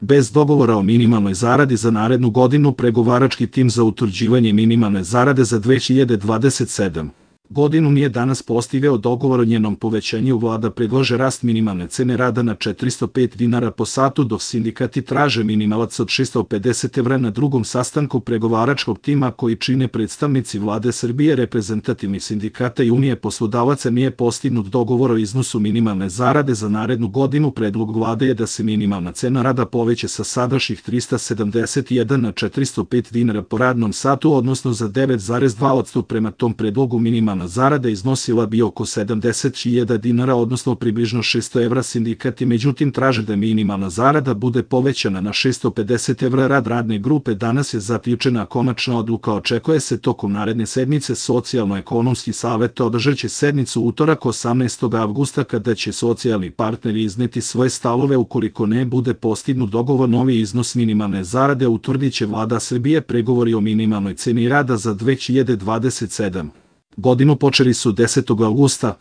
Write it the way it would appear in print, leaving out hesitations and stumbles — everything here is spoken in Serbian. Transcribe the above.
bez dogovora o minimalnoj zaradi za narednu godinu. Pregovarački tim za utvrđivanje minimalne zarade za 2027. godinu nije danas postigao dogovor o njenom povećanju. Vlada predlaže rast minimalne cene rada na 405 dinara po satu, dok sindikati traže minimalac od 650 evra. Na drugom sastanku pregovaračkog tima, koji čine predstavnici Vlade Srbije, reprezentativni sindikata i Unije poslodavaca, nije postignut dogovor o iznosu minimalne zarade za narednu godinu. Predlog Vlade je da se minimalna cena rada poveća sa sadašnjih 371 na 405 dinara po radnom satu, odnosno za 9,2%. Prema tom predlogu minimalna zarada iznosila bi oko 70.000 dinara, odnosno približno 600 evra. Sindikati međutim traže da minimalna zarada bude povećana na 650 evra. Rad radne grupe danas je zaključena konačna odluka. Očekuje se tokom naredne sedmice. Socijalno-ekonomski savet održaće sednicu utorak 18. avgusta, kada će socijalni partneri izneti svoje stavove. Ukoliko ne bude postignut dogovor, novi iznos minimalne zarade utvrdit će Vlada Srbije. Pregovori o minimalnoj ceni rada za 2027. godinu počeli su 10. avgusta.